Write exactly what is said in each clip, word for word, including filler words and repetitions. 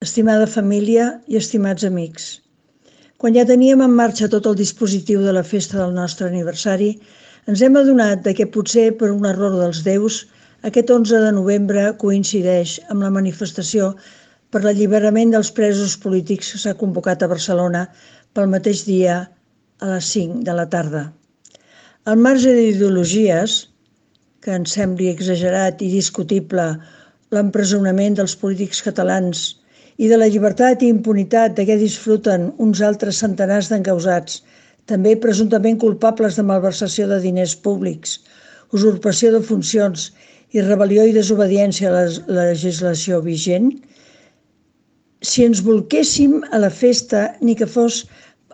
estimada família i estimats amics. Quan ja teníem en marxa tot el dispositiu de la festa del nostre aniversari, ens hem adonat que potser per un error dels déus, aquest onze de novembre coincideix amb la manifestació per l'alliberament dels presos polítics que s'ha convocat a Barcelona pel mateix dia a les cinc de la tarda. Al marge d'ideologies, que ens sembli exagerat i discutible l'empresonament dels polítics catalans i de la llibertat i impunitat de què disfruten uns altres centenars d'encausats, també presumptament culpables de malversació de diners públics, usurpació de funcions i rebel·lió i desobediència a la legislació vigent, si ens bolquéssim a la festa, ni que fos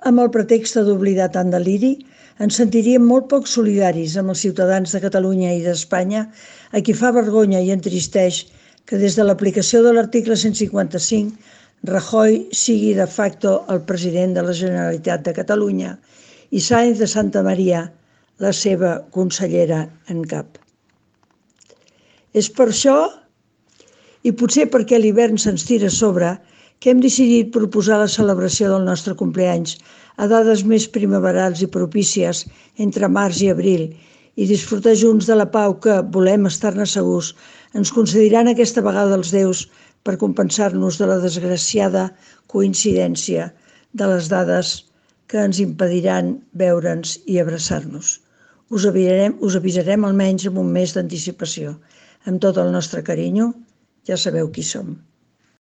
amb el pretext d'oblidar tant deliri, ens sentiríem molt poc solidaris amb els ciutadans de Catalunya i d'Espanya, a qui fa vergonya i entristeix que des de l'aplicació de l'article cent cinquanta-cinc Rajoy sigui de facto el president de la Generalitat de Catalunya i Sáenz de Santamaría la seva consellera en cap. És per això, i potser perquè l'hivern se'ns tira a sobre, que hem decidit proposar la celebració del nostre compleanys a dades més primaverals i propícies entre març i abril i disfrutar junts de la pau que, volem estar-ne segurs, ens concediran aquesta vegada els déus per compensar-nos de la desgraciada coincidència de les dades que ens impediran veure'ns i abraçar-nos. Us avisarem, us avisarem almenys amb un mes d'anticipació. Amb tot el nostre carinyo, ja sabeu qui som.